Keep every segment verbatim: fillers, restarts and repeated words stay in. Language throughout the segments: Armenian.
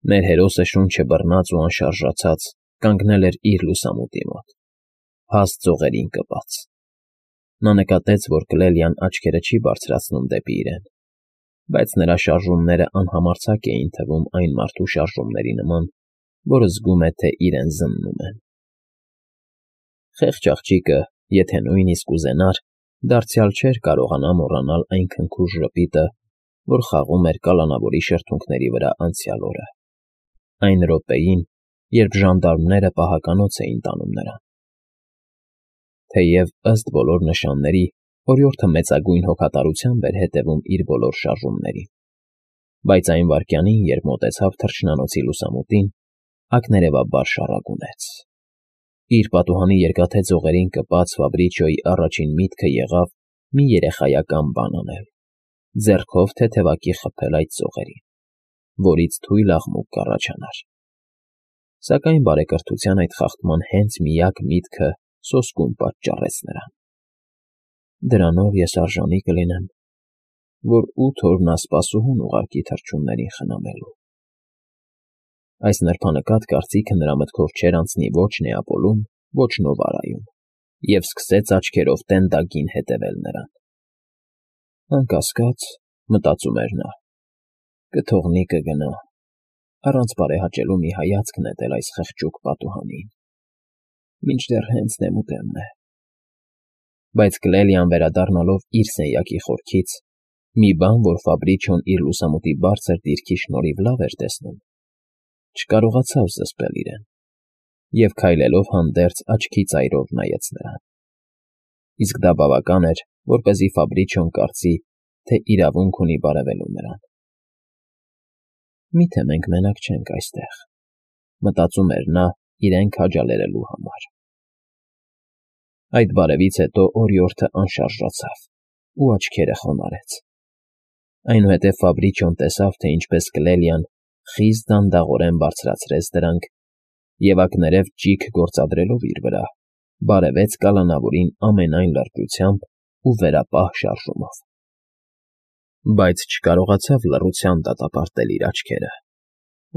Մեր հերոսը շունչը բռնած ու անշարժացած կանգնել էր իր լուսամուտի մոտ, հաստ ծողերին կպած. նա նկատեց, որ Կլելիան աչքերը չի բարձրացնում դեպի իրեն, բայց նրա շարժումներն անհամարձակ էին թվում այն մարդու շարժումների նման, որը զգում է, թե իրեն զննում են։ Խեղճ աղջիկը, եթե նույնիսկ ուզենար, դարձյալ չէր կարողանա մոռանալ այն քնքուշ ժպիտը, որ խաղում էր կալանավորի շրթունքների վրա անցյալ օրը, այն րոպեին, երբ ժանդարմները պահականոց էին տանում նրան։ Թեև, ըստ բոլոր նշանների, օրիորդը մեծագույն հոգատարությամբ էր հետևում իր բոլոր շարժումներին, բայց այն վայրկյանին, երբ մոտեցավ թռչնանոցի լուսամուտին, ակներևաբար շառագունեց։ Իր պատուհանի երկաթե ձողերին կպած Ֆաբրիչոյի առաջին միտքը եղավ մի երեխայական բան անել, ձեռքով թեթևակի խփել այդ ձողերին, որից թույլ աղմուկ կառաջանար։ Սակայն բարեկրթության այդ խախտման հենց միակ միտքը սոսկում պատճառեց նրան։ Դրանով ես արժանի կլինեմ, որ ութ օր նա սպասուհուն ուղարկի թռչուններին խնամելու։ Այս նրբանկատ կարծիքը նրա մտքով չէր անցնի ոչ Նեապոլում, ոչ Նովարայում, և սկսեց աչքերով տենդագին հետևել նրան։ Անկասկած, մտածում էր նա, կթողնի կգնա, առանց բարեհաճելու մի հայացք նետել այս խղճուկ պատուհանին, մինչդեռ հենց նեմուտեմն է։ Բայց Կլելիան վերադառնալով իր սենյակի խորքից, մի բան, որ Ֆաբրիչոն իր լուսամուտի բարձր դիրքի շնորհիվ լավ էր տեսնում, չկարողացավ զսպել իրեն և քայլելով հանդերձ աչքի ծայրով նայեց նրան։ Իսկ դա բավական էր, որպեսզի Ֆաբրիչոն կարծի, թե իրավունք ունի բարևելու նրան։ «Մի՞թե մենք մենակ չենք այստեղ», մտածում էր նա իրեն քաջալերելու համար։ Այդ բարևից հետո օրիորդը անշարժացավ ու աչքերը խոնարհեց։ Այնուհետև Ֆաբրիչոն տեսավ, թե ինչպես Կլելիան խիստ դանդաղորեն բարձրացրեց դրանք և, ակներև ճիգ գործադրելով իր վրա, բարևեց կալանավորին ամենայն լրջությամբ ու վերապահ շարժումով։ Բայց չկարողացավ լռությամբ դատապարտել իր աչքերը,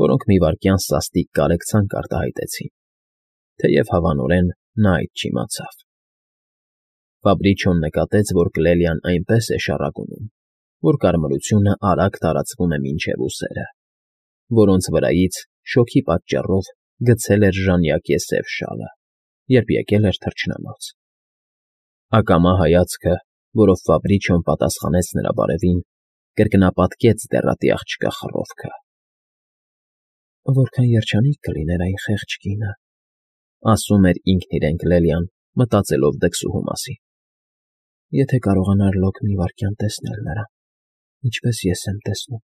որոնք մի վայրկյան սաստիկ կարեկցանք արտահայտեցին, թեև հավանորեն նա այդ չիմացավ։ Ֆաբրիչոն նկատեց, որ Կլելիան այնպես է շառագունում, որ կարմրությունը արագ տարածվում է մինչև ուսերը, որոնց վրայից շոգի պատճառով գցել էր ժանյակե սև շալը, երբ եկել էր թռչնանոց։ Ակամա հայացքը, որով Ֆաբրիչոն պատասխանեց նրա բարևին, կրկնապատկեց դեռատի աղջկա խռովքը։ «Որքան երջանիկ կլիներ այն խեղճ կինը», ասում էր ինքն իրեն Կլելիան, մտածելով դքսուհու մասին, «եթե կարողանար լոկ մի վայրկյան տեսնել նրան, ինչպես ես եմ տեսնում»։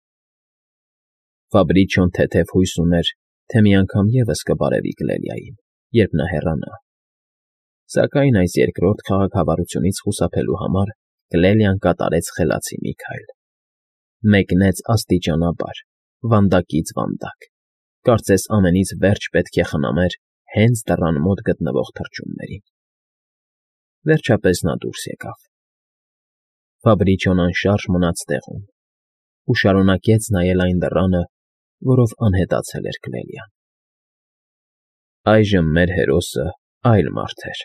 Ֆաբրիչոն թեթև հույս ուներ, թե մի անգամ ևս կբարևի Կլելիային, երբ նա հեռանա։ Սակայն այս երկրորդ քաղաքավարությունից խուսափելու համար Կլելիան կատարեց խելացի մի քայլ։ Մեկնեց աստիճանաբար, վանդակից վանդակ, կարծես ամենից վերջ պետք է խնամեր հենց դռան մոտ գտնվող թռչուններին։ Վերջապես նա դուրս եկավ։ Ֆաբրիչոն անշարժ մնաց տեղում ու շարունակեց նայել այն դռանը, որով անհետացել էր Կլելիան։ Այժմ մեր հերոսը այլ մարդ էր։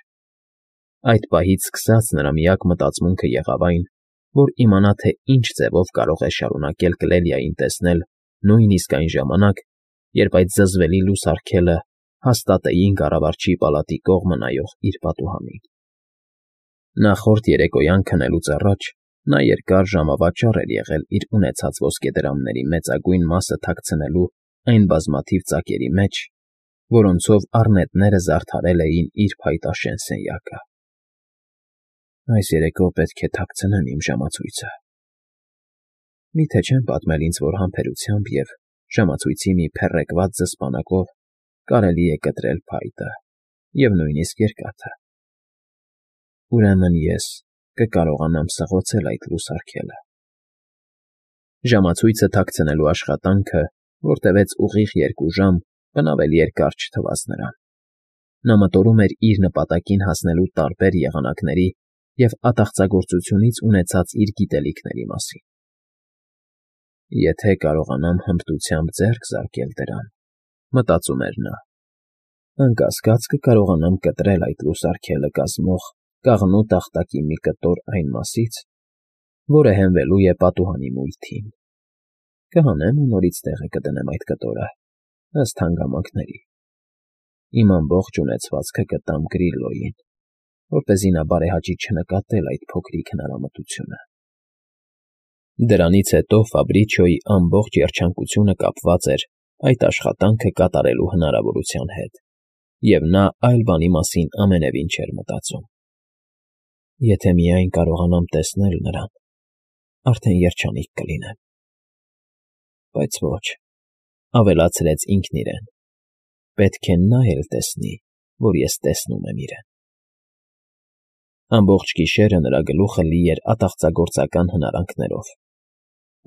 Այդ պահից սկսած նրա միակ մտածմունքը եղավ այն, որ իմանա, թե ինչ ձևով կարող է շարունակել Կլելիային տեսնել նույնիսկ այն ժամանակ, երբ այդ զզվելի լուսարգելը հաստատեին կառավարչի պալատի կողմը նայող իր պատուհանին։ Նախորդ երեկոյան քնելուց առաջ նա երկար ժամավաճառ էր եղել իր ունեցած ոսկեդրամների մեծագույն մասը թաքցնելու այն բազմաթիվ ծակերի մեջ, որոնցով առնետները զարդարել էին իր փայտաշեն սենյակը։ Այս երեկո պետք է թաքցնեմ իմ ժամացույցը։ Մի՞թե չեն պատմել ինձ, որ համբերությամբ և ժամացույցի մի փեռեկված զսպանակով կարելի է կտրել փայտը և նույնիսկ երկաթը։ Ուրեմն ես կկարողանամ սղոցել այդ լուսարգելը։ Ժամացույցը թաքցնելու աշխատանքը, որ տևեց ուղիղ երկու ժամ, բնավ էլ երկար չթվաց նրան։ Նա մտորում էր իր նպատակին հասնելու տարբեր եղանակների և ատաղծագործությունից ունեցած իր գիտելիքների մասին։ Եթե կարողանամ հմտությամբ ձեռք զարկել դրան, մտածում էր նա, անկասկած կկարողանամ կտրել այդ լուսարգելը կազմող կաղնու տախտակի մի կտոր այն մասից, որը հենվելու է պատուհանի մույթին։ Կհանեմ ու նորից տեղը կդնեմ այդ կտորը, ըստ հանգամանքների։ Իմ ամբողջ ունեցվածքը կտամ Գրիլլոյին, որպեսզի նա բարեհաճի չնկատել այդ փոքրիկ հնարամտությունը։ Դրանից հետո Ֆաբրիչոյի ամբողջ երջանկությունը կապված էր այդ աշխատանքը կատարելու հնարավորության հետ, և նա այլ բանի մասին ամենևին չէր մտածում։ Եթե միայն կարողանամ տեսնել նրան, արդեն երջանիկ կլինեմ։ Բայց ոչ, ավելացրեց ինքն իրեն, պետք է նա էլ տեսնի, որ ես տեսնում եմ իրեն։ Ամբողջ գիշերը նրա գլուխը լի էր ատաղծագործական հնարանքներով,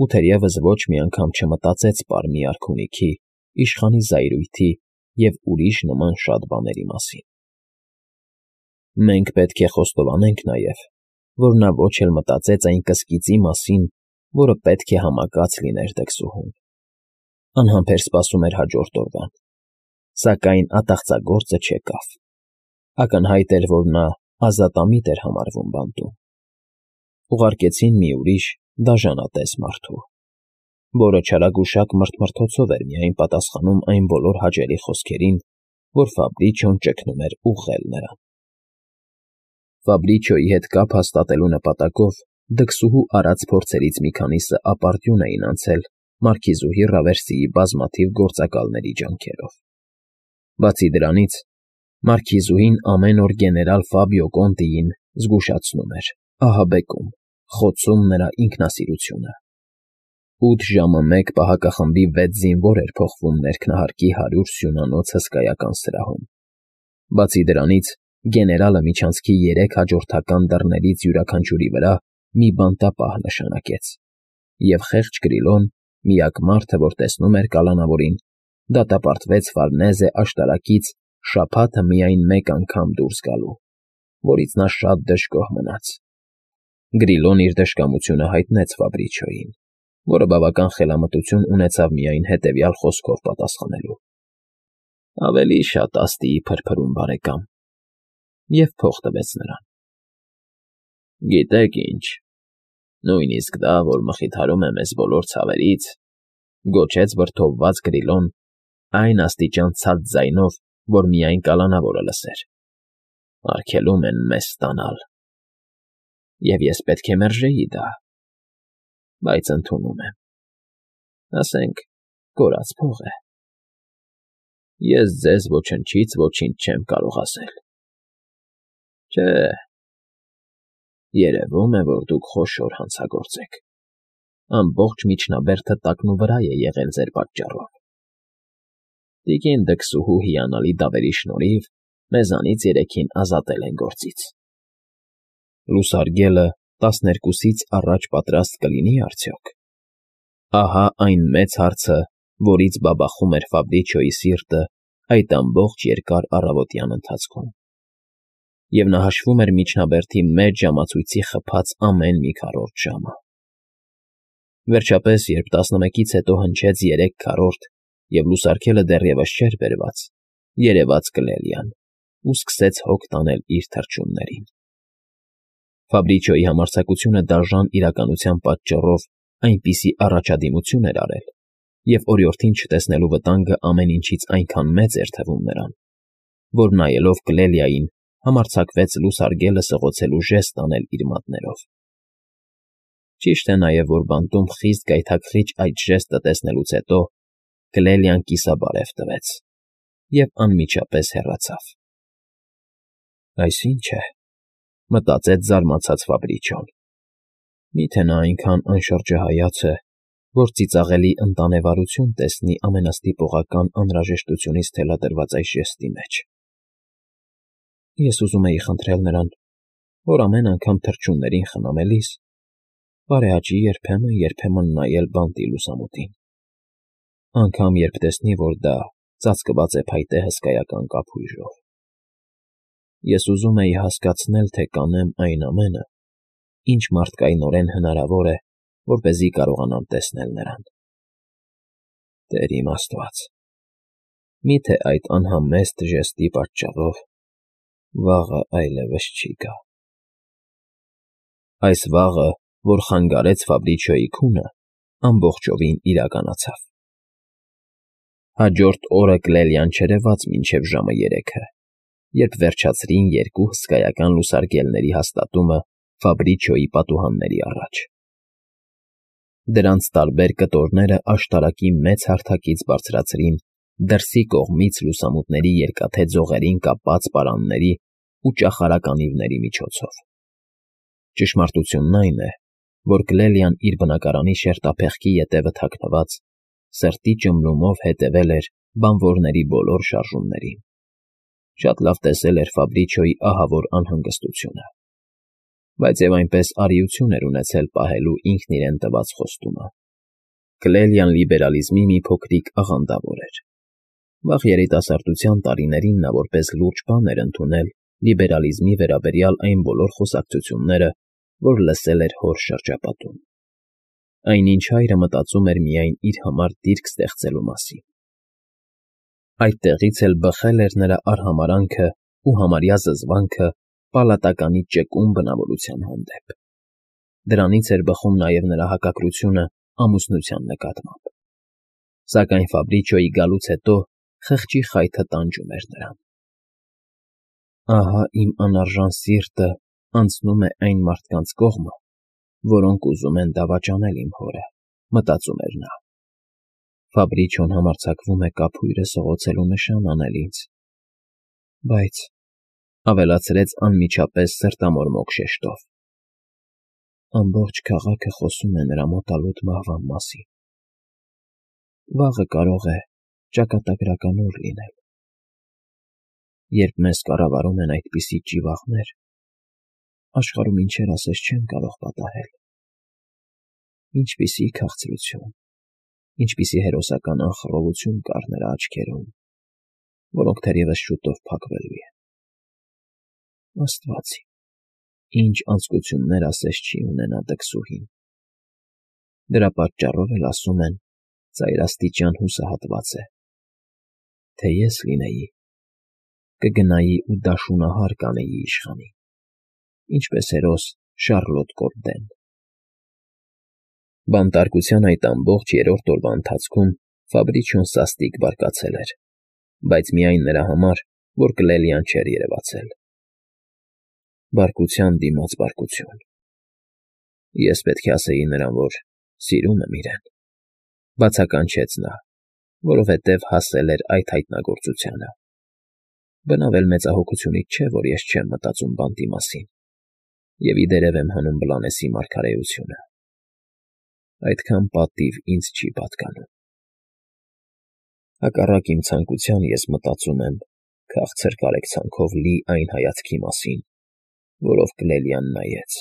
ու թերևս ոչ մի անգամ չմտածեց պարմի արքունիքի, իշխանի զայրույթի և ուրիշ նման շատ բաների մասին։ Մենք պետք է խոստովանենք նաև, որ նա ոչ էլ մտածեց այն կսկիծի մասին, որը պետք է համակած լիներ դքսուհուն։ Անհամբեր սպասում էր հաջորդ օրվան, սակայն ատաղծագործը չեկավ։ Ակնհայտ էր, որ նա ազատամիտ էր համարվում բանտում։ Ուղարկեցին մի ուրիշ, դաժանատես մարդու, որը չարագուշակ մրթմրթոցով էր միայն պատասխանում այն բոլոր հաճելի խոսքերին, որ Ֆաբրիչոն ճգնում էր ուղղել նրան։ Ֆաբրիչոյի հետ կապ հաստատելու նպատակով դքսուհու արած փորձերից մի քանիսը ապարդյուն էին անցել մարքիզուհի Ռավերսիի բազմաթիվ գործակալների ջանքերով։ Բացի դրանից, մարքիզուհին ամեն օր գեներալ Ֆաբիո Կոնտիին զգուշացնում էր, ահաբեկում, խոցում նրա ինքնասիրությունը։ Ութ ժամը մեկ պահակախմբի վեց զինվոր էր փոխվում ներքնահարկի հարյուր սյունանոց հսկայական սրահում։ Բացի դրանից, գեներալը միջանցքի երեք հաջորդական դռներից յուրաքանչյուրի վրա մի բանտապահ նշանակեց, և խեղճ Գրիլոն, միակ մարդը, որ տեսնում էր կալանավորին, դատապարտվեց Ֆարնեզե աշտարակից շաբաթը միայն մեկ անգամ դուրս գալու, որից նա շատ դժգոհ մնաց։ Գրիլոն իր դժկամությունը հայտնեց Ֆաբրիչոյին, որը բավական խելամտություն ունեցավ միայն հետևյալ խոսքով պատասխանելու. ավելի շատ աստիի փրփրում, բարեկամ, և փող տվեց նրան։ Գիտեք ինչ, նույնիսկ դա, որ մխիթարում է մեզ բոլոր ցավերից, գոչեց վրդովված Գրիլոն այն աստիճան ցած ձայնով, որ միայն կալանավորը լսեր։ Արգելում են մեզ ստանալ։ Եվ ես պետք է մերժեի դա, բայց ընդունում եմ։ Ասենք, կորած փող է։ Ես ձեզ ոչնչից ոչինչ չեմ կարող ասել։ Չէ, երևում է, որ դուք խոշոր հանցագործ եք։ Ամբողջ միջնաբերդը տակնուվրա է եղել ձեր պատճառով։ Տիկին դքսուհու հիանալի դավերի շնորհիվ մեզանից երեքին ազատել են գործից։ Լուսարգելը տասներկուսից առաջ պատրաստ կլինի արդյոք։ Ահա այն մեծ հարցը, որից բաբախում էր Ֆաբրիչոյի սիրտը այդ ամբողջ երկար առավոտյան ընթացքում։ Եվ նա հաշվում էր միջնաբերդի մեծ ժամացույցի խփած ամեն մի քառորդ ժամը։ Վերջապես, երբ տասնմեկից հետո հնչեց երեք քառորդ և լուսարգելը դեռևս չէր բերված, երևաց Կլելիան ու սկսեց հոգ տանել իր թռչուններին։ Ֆաբրիչոյի համարձակությունը դաժան իրականության պատճառով այնպիսի առաջադիմություն էր արել, և օրիորդին չտեսնելու վտանգը ամեն ինչից այնքան մեծ էր թվում նրան, որ նայելով Կլելիային համարձակվեց լուսարգելը սղոցելու ժեստ անել իր մատներով։ Ճիշտ է նաև, որ բանտում խիստ գայթակղիչ այդ ժեստը տեսնելուց հետո Կլելիան կիսաբարև տվեց և անմիջապես հեռացավ։ Այս ի՞նչ է, մտածեց զարմացած Ֆաբրիչոն։ Մի՞թե նա այնքան անշրջահայաց է, որ ծիծաղելի ընտանեվարություն տեսնի ամենաստիպողական անհրաժեշտությունից թելադրված այս ժեստի մեջ։ Ես ուզում էի խնդրել նրան, որ ամեն անգամ թռչուններին խնամելիս բարեհաճի երբեմն֊երբեմն նայել բանտի լուսամուտին, անգամ երբ տեսնի, որ դա ծածկված է փայտե հսկայական կափույժով։ Ես ուզում էի հասկացնել, թե կանեմ այն ամենը, ինչ մարդկայնորեն հնարավոր է որպեսզի կարողանամ տեսնել նրան։ Տեր իմ Աստված, մի՞թե այդ անհամեստ ժեստի պատճառով վաղը այլևս չի գա։ Այս վաղը, որ խանգարեց Ֆաբրիչիոյի քունը, ամբողջովին իրականացավ։ Հաջորդ օրը Կլելիան չերևաց մինչև ժամը երեքը, երբ վերջացրին երկու հսկայական լուսարգելների հաստատումը Ֆաբրիչիոյի պատուհանների առաջ։ Դրանց տարբեր կտորները աշտարակի մեծ հարթակից բարձրացրին դրսի կողմից լուսամուտների երկաթե ձողերին կապած պարանների ու ճախարականիվների միջոցով։ Ճշմարտությունն այն է, որ Կլելիան իր բնակարանի շերտափեղկի ետևը թաքնված, սրտի ճմլումով հետևել էր բանվորների բոլոր շարժումներին։ Շատ լավ տեսել էր Ֆաբրիչիոյի ահավոր անհանգստությունը, բայց և այնպես արիություն էր ունեցել պահելու ինքն իրեն տված խոստումը։ Կլելիան լիբերալիզմի մի փոքրիկ աղանդավոր էր։ Վաղ երիտասարդության տարիներին նա որպես լուրջ բան էր ընդունել լիբերալիզմի վերաբերյալ այն բոլոր խոսակցությունները, որ լսել էր հոր շրջապատում։ Այնինչ հայրը մտածում էր միայն իր համար դիրք ստեղծելու մասին։ Այդտեղից էլ բխել էր նրա արհամարհանքը ու համարյա զզվանքը պալատականի ճկուն բնավորության հանդեպ։ Դրանից էր բխում նաև նրա հակակրությունը ամուսնության նկատմամբ։ Սակայն Ֆաբրիչիոյի գալուց հետո խղճի խայթը տանջում էր նրան։ Ահա իմ անարժան սիրտը անցնում է այն մարդկանց կողմը, որոնք ուզում են դավաճանել իմ հորը, մտածում էր նա։ Ֆաբրիչիոն համարձակվում է կափույրը սղոցելու նշան անել ինձ, բայց, ավելացրեց անմիջապես սրտամորմոք շեշտով, ամբողջ քաղաքը խոսում է նրա մոտալուտ մահվան մասին։ Վաղը կարող է ճակատագրական օր լինել։ Երբ մեզ կառավարում են այդպիսի ճիվաղներ, աշխարհում ինչեր ասես չեմ կարող պատահել։ Ինչպիսի քաղցրություն, ինչպիսի հերոսական անխռովություն կար նրա աչքերում, որոնք թերևս շուտով փակվելու են։ Աստված իմ, ինչ անձկություններ ասես չի ունենա դքսուհին։ Դրա պատճառով էլ ասում են, ծայրաստիճան հուսահատված է։ Թե ես լինեի, կգնայի ու դաշունահար կանեի իշխանին, ինչպես հերոս Շառլոտ Կորդեն։ Բանտարկության այդ ամբողջ երրորդ օրվա ընթացքում Ֆաբրիչիոն սաստիկ բարկացել էր, բայց միայն նրա համար, որ Կլելիան չէր երևացել։ Բարկության դիմաց բարկություն։ Ես պետք է ասեի նրան, որ սիրում եմ իրեն, բացականչեց նա, որովհետև հասել էր այդ հայտնագործությանը։ Բնավ էլ մեծահոգությունից չէ, որ ես չեմ մտածում բանտի մասին և ի դերև եմ հանում Բլանեսի մարգարեությունը։ Այդքան պատիվ ինձ չի պատկանում։ Հակառակ իմ ցանկության ես մտածում եմ քաղցր կարեկցանքով լի այն հայացքի մասին, որով Կլելիան նայեց,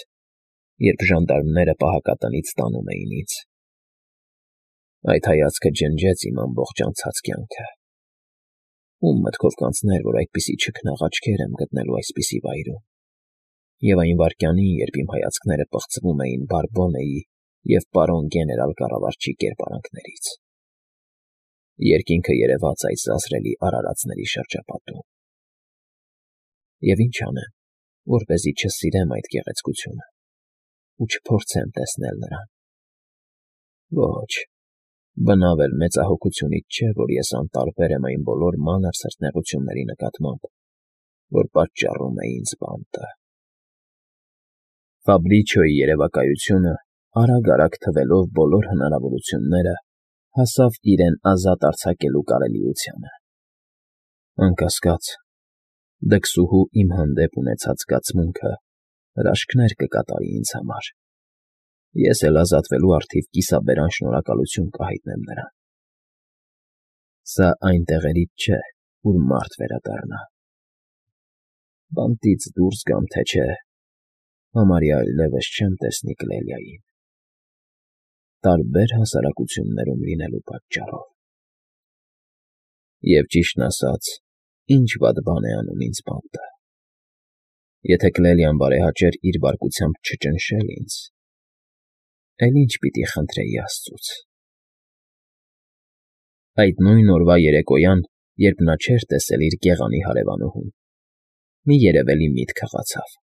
երբ ժանդարմները պահակատնից տանում էին ինձ։ Այդ հայացքը ջնջեց իմ ամբողջ անցած կյանքը։ Ում մտքով կանցներ, որ այդպիսի չքնաղ աչքեր եմ գտնելու այսպիսի վայրում, և այն վայրկյանին, երբ իմ հայացքները պղծվում էին Բարբոնեի և պարոն գեներալ կառավարչի կերպարանքներից։ Երկինքը երևաց այս զազրելի արարածների շրջապատում։ Եվ ինչ անեմ, որպեսզի չսիրեմ այդ գեղեցկությունը ու չփորձեմ տեսնել նրան։ Ոչ, բնավ էլ մեծահոգությունից չէ, որ ես անտարբեր եմ այն բոլոր մանր սրտնեղությունների նկատմամբ, որ պատճառում է ինձ բանտը։ Ֆաբրիչիոյի երևակայությունը, արագ-արագ թվելով բոլոր հնարավորությունները, հասավ իրեն ազատ արձակելու կարելիությանը։ Անկասկած, դքսուհու իմ հանդեպ ունեցած զգացմունքը հրաշքներ կկատարի ինձ համար։ Ես էլ ազատվելու առթիվ կիսաբերան շնորհակալություն կհայտնեմ նրան։ Սա այն տեղերից չէ, ուր մարդ վերադառնա։ Բանտից դուրս գամ, թե չէ, համարյա այլևս չեմ տեսնի Կլելիային, տարբեր հասարակություններում լինելու պատճառով։ Եվ ճիշտն ասած, ինչ վատ բան է անում ինձ բանտը։ Եթե Կլելիան բարեհաճեր իր բարկությամբ չճնշել ինձ, Էլ ինչ պիտի խնդրեի աստծուց… Այդ նույն օրվա երեկոյան, երբ նա չէր տեսել իր գեղանի հարևանուհուն, մի երևելի միտք հղացավ։